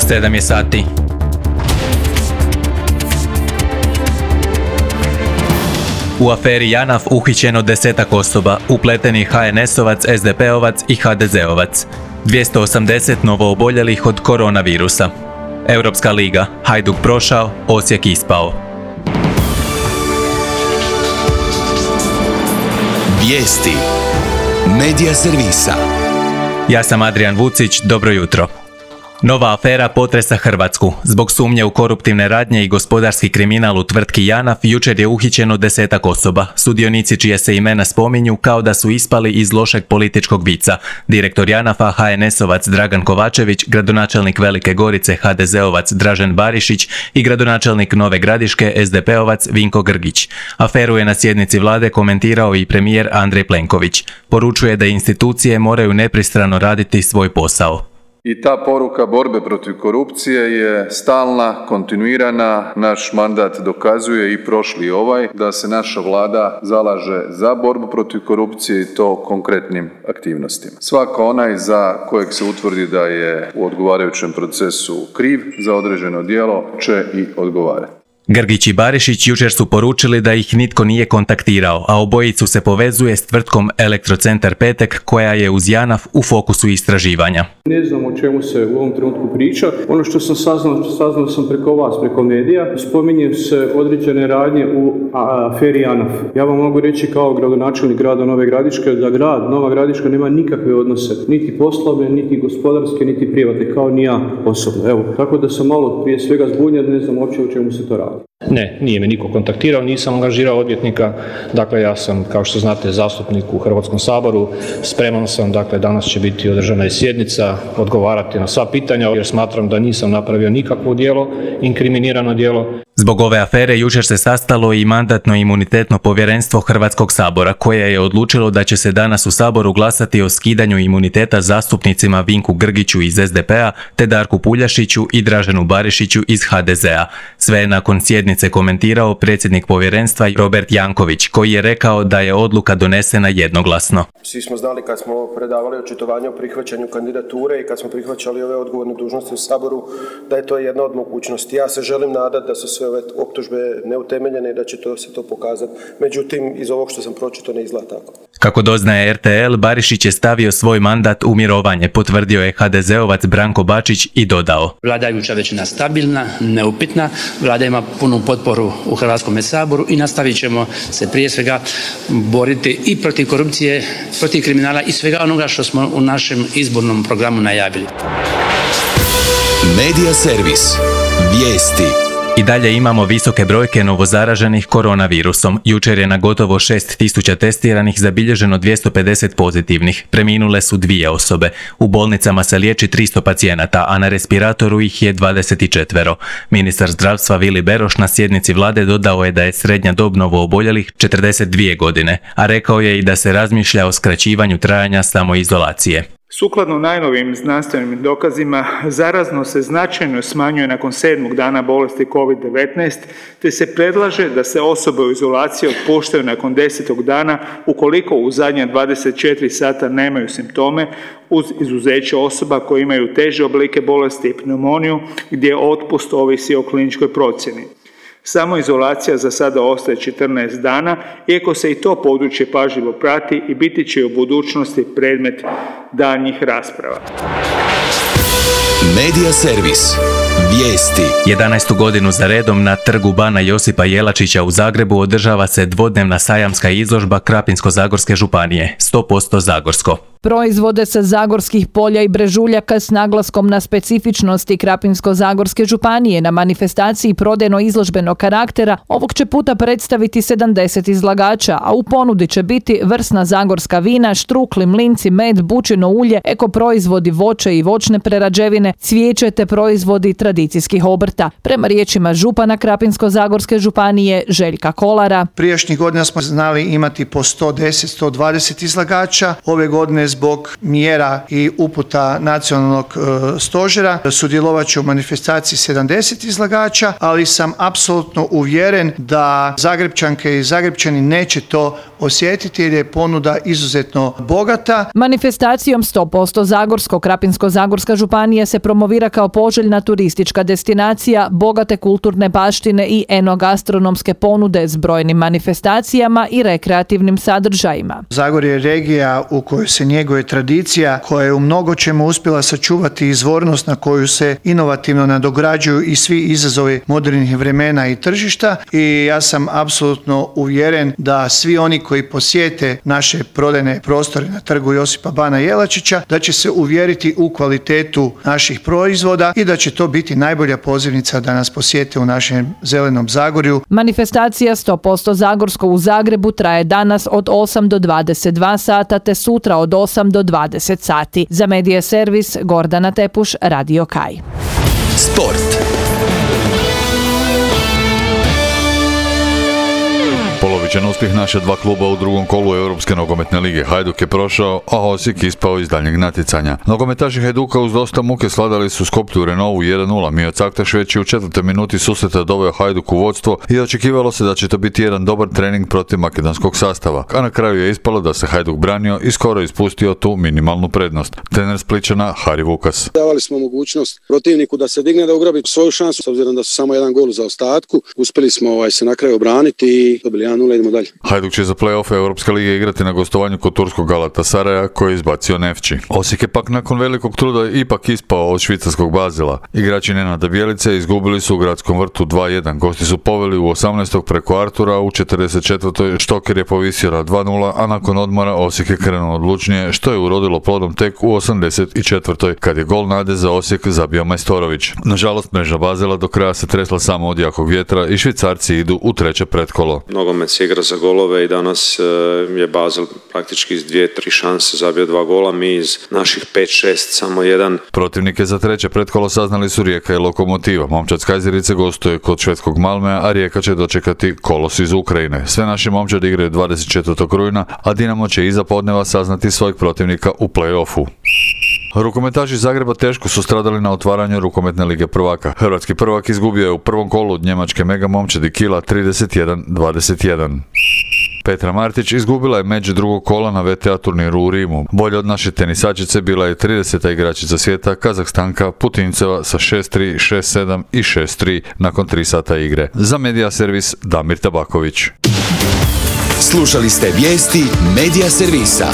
7 je sati. U aferi JANAF uhićeno 10 osoba, upletenih HNS-ovac, SDP-ovac i HDZ-ovac. 280 novooboljelih od koronavirusa. Europska liga, Hajduk prošao, Osijek ispao. Vijesti Medija servisa. Ja sam Adrian Vucić, dobro jutro. Nova afera potresa Hrvatsku. Zbog sumnje u koruptivne radnje i gospodarski kriminal u tvrtki JANAF jučer je uhićeno 10 osoba, sudionici čije se imena spominju kao da su ispali iz lošeg političkog vica. Direktor JANAF-a HNS-ovac Dragan Kovačević, gradonačelnik Velike Gorice HDZ-ovac Dražen Barišić i gradonačelnik Nove Gradiške SDP-ovac Vinko Grgić. Aferu je na sjednici vlade komentirao i premijer Andrej Plenković. Poručuje da institucije moraju nepristrano raditi svoj posao. I ta poruka borbe protiv korupcije je stalna, kontinuirana. Naš mandat dokazuje i prošli i ovaj da se naša vlada zalaže za borbu protiv korupcije i to konkretnim aktivnostima. Svako onaj za kojeg se utvrdi da je u odgovarajućem procesu kriv za određeno djelo će i odgovarati. Grgić i Barišić jučer su poručili da ih nitko nije kontaktirao, a obojicu se povezuje s tvrtkom Elektrocentar Petek koja je uz JANAF u fokusu istraživanja. Ne znam o čemu se u ovom trenutku priča. Ono što sam saznao sam preko vas, preko medija, spominju se određene radnje u aferi JANAF. Ja vam mogu reći kao gradonačelnik grada Nove Gradiške da grad Nova Gradiška nema nikakve odnose, niti poslovne, niti gospodarske, niti privatne, kao ni ja osobno. Evo, tako da sam malo prije svega zbunjen, ne znam uopće o čemu se to radi. Ne, nije me niko kontaktirao, nisam angažirao odvjetnika, dakle ja sam, kao što znate, zastupnik u Hrvatskom saboru, spreman sam, dakle danas će biti održana i sjednica, odgovarati na sva pitanja jer smatram da nisam napravio nikakvo djelo, inkriminirano djelo. Zbog ove afere jučer se sastalo i Mandatno-imunitetno povjerenstvo Hrvatskog sabora koje je odlučilo da će se danas u Saboru glasati o skidanju imuniteta zastupnicima Vinku Grgiću iz SDP-a te Darku Puljašiću i Draženu Barišiću iz HDZ-a. Sve je nakon sjednice komentirao predsjednik povjerenstva Robert Janković koji je rekao da je odluka donesena jednoglasno. Svi smo znali kad smo predavali očitovanje o prihvaćanju kandidature i kad smo prihvaćali ove odgovorne dužnosti u Saboru da je to jedna od mogućnosti. Ja se želim nadati da su sve ove optužbe neutemeljene i da će se to pokazati. Međutim, iz ovog što sam pročitao ne izgleda tako. Kako doznaje RTL, Barišić je stavio svoj mandat u mirovanje, potvrdio je HDZ-ovac Branko Bačić i dodao. Vladajuća većina stabilna, neupitna, vlada ima punu potporu u Hrvatskom saboru i nastavit ćemo se prije svega boriti i protiv korupcije, protiv kriminala i svega onoga što smo u našem izbornom programu najavili. Medija servis. Vijesti. I dalje imamo visoke brojke novozaraženih koronavirusom. Jučer je na gotovo 6.000 testiranih zabilježeno 250 pozitivnih. Preminule su 2 osobe. U bolnicama se liječi 300 pacijenata, a na respiratoru ih je 24. Ministar zdravstva Vili Beroš na sjednici vlade dodao je da je srednja dob novooboljelih 42 godine, a rekao je i da se razmišlja o skraćivanju trajanja samoizolacije. Sukladno najnovijim znanstvenim dokazima, zaraznost se značajno smanjuje nakon 7. dana bolesti COVID-19, te se predlaže da se osobe u izolaciji otpuštaju nakon 10. dana ukoliko u zadnja 24 sata nemaju simptome, uz izuzeće osoba koje imaju teže oblike bolesti i pneumoniju, gdje otpust ovisi o kliničkoj procjeni. Samoizolacija za sada ostaje 14 dana, iako se i to područje pažljivo prati i biti će u budućnosti predmet daljnjih rasprava. Medija servis. Vijesti. 11. godinu za redom na trgu Bana Josipa Jelačića u Zagrebu održava se dvodnevna sajamska izložba Krapinsko-zagorske županije, 100% zagorsko. Proizvode sa zagorskih polja i brežuljaka s naglaskom na specifičnosti Krapinsko-zagorske županije na manifestaciji prodajno-izložbenog karaktera ovog će puta predstaviti 70 izlagača, a u ponudi će biti vrsna zagorska vina, štrukli, mlinci, med, bučino ulje, ekoproizvodi, voće i voćne prerađevine, cvijeće te proizvodi tradicijskih obrta. Prema riječima župana Krapinsko-zagorske županije Željka Kolara. Prijašnjih godina smo znali imati po 110-120 izlagača, ove godine godine zbog mjera i uputa nacionalnog stožera. Sudjelovat će u manifestaciji 70 izlagača, ali sam apsolutno uvjeren da Zagrepčanke i Zagrepčani neće to osjetiti jer je ponuda izuzetno bogata. Manifestacijom 100% Zagorsko Krapinsko-zagorska županija se promovira kao poželjna turistička destinacija, bogate kulturne baštine i enogastronomske ponude s brojnim manifestacijama i rekreativnim sadržajima. Zagorje je regija u kojoj se njeguje tradicija, koja je u mnogo čemu uspjela sačuvati izvornost na koju se inovativno nadograđuju i svi izazovi modernih vremena i tržišta, i ja sam apsolutno uvjeren da svi oni koji posjete naše prodajne prostore na trgu Josipa Bana Jelačića, da će se uvjeriti u kvalitetu naših proizvoda i da će to biti najbolja pozivnica da nas posjete u našem zelenom Zagorju. Manifestacija 100% Zagorsko u Zagrebu traje danas od 8 do 22 sata te sutra od 8 do 20 sati. Za Medija servis Gordana Tepuš, Radio Kaj. Sport. Polovičan uspjeh naša dva kluba u drugom kolu Europske nogometne lige. Hajduk je prošao, a Osijek ispao iz daljnjeg natjecanja. Nogometaši Hajduka uz dosta muke sladali su Skoplju Renovu 1-0. Mio Caktaš već je u 4. minuti susreta doveo Hajduk u vodstvo i očekivalo se da će to biti jedan dobar trening protiv makedonskog sastava. A na kraju je ispalo da se Hajduk branio i skoro ispustio tu minimalnu prednost. Trener Spličana Hari Vukas. Davali smo mogućnost protivniku da se digne, da ugrabi svoju šansu, s obzirom da su samo jedan gol za ostatku. Uspjeli smo se na kraju obraniti i dobili 1-0, idemo dalje. Hajduk će za play-off Europske lige igrati na gostovanju kod turskog Galatasaraja koji je izbacio Nefči. Osijek je pak nakon velikog truda ipak ispao od švicarskog Bazela. Igrači Nenada Bjelice izgubili su u Gradskom vrtu 2-1. Gosti su poveli u 18. preko Artura, u 44. Štoker je povisio na 2-0, a nakon odmora Osijek je krenuo odlučnije, što je urodilo plodom tek u 84. kad je gol nade za Osijek zabio Majstorović. Nažalost, mreža Bazela do kraja se tresla samo od jakog vjetra i Švicarci idu u treće pretkolo. Nogomet se igra za golove i danas je Basel praktički iz 2-3 šanse zabio 2 gola, mi iz naših 5-6 samo 1. Protivnike za treće pretkolo saznali su Rijeka i Lokomotiva. Momčad Kajzerice gostuje kod švedskog Malmea, a Rijeka će dočekati Kolos iz Ukrajine. Sve naši momčadi igraju 24. rujna, a Dinamo će iza podneva saznati svojeg protivnika u play-offu. Rukometaši Zagreba teško su stradali na otvaranju rukometne lige prvaka. Hrvatski prvak izgubio je u prvom kolu od njemačke mega momčadi Kila 31-21. Petra Martić izgubila je među drugog kola na VTA turniru u Rimu. Bolje od naše tenisačice bila je 30. igračica svijeta Kazahstanka Putinceva sa 6-3, 6-7 i 6-3 nakon 3 sata igre. Za Medija servis Damir Tabaković. Slušali ste vijesti Medija servisa.